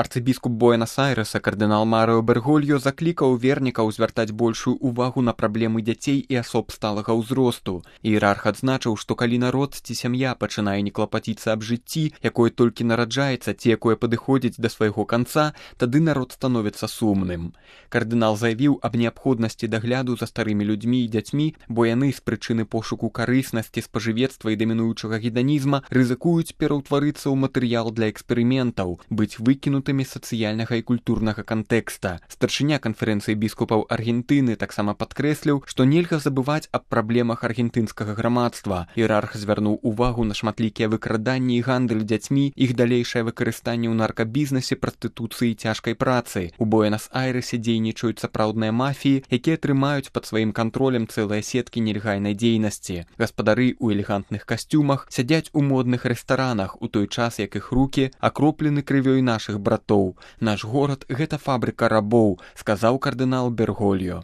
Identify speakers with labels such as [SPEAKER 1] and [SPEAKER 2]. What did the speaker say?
[SPEAKER 1] Арцыбіскуп Буэнас-Айрэса кардынал Марыо Бергольо заклікаў вернікаў звяртаць большую увагу на праблемы дзяцей і асоб сталага ўзросту. Іерарх адзначыў, што калі народ ці сям'я пачынае не клапаціцца аб жыцці, якое толькі нараджаецца ці якое падыходзіць да свайго канца, тады народ становіцца сумным. Кардынал заявіў аб неабходнасці дагляду за старымі людзьмі і дзяцьмі, бо яны з прычыны пошуку карыснасці, спажывецтва і дамінуючага геданізма рызыкуюць пераўтварыцца ў матэрыял для эксперыментаў, быць выкінутымі сацыяльнага і культурнага кантэкста. Старшыня канферэнцыі біскупаў Аргентыны таксама падкрэсліў, што нельга забываць аб праблемах аргентынскага грамадства. Іерарх звярнуў увагу на шматлікія выкраданні і гандаль дзяцьмі, іх далейшае выкарыстанне ў наркабізнесе, прастытуцыі і цяжкай працы. У Буэнас-Айрэсе дзейнічаюць сапраўдныя мафіі, якія трымаюць пад сваім кантролем цэлыя сеткі нелегальнай дзейнасці. Гаспадары ў элегантных касцюмах сядзяць у модных рэстаранах, у той час, як іх рукі акроплены крывёй нашых братоў. Наш горад — гэта фабрыка рабоў, сказаў кардынал Бергольо.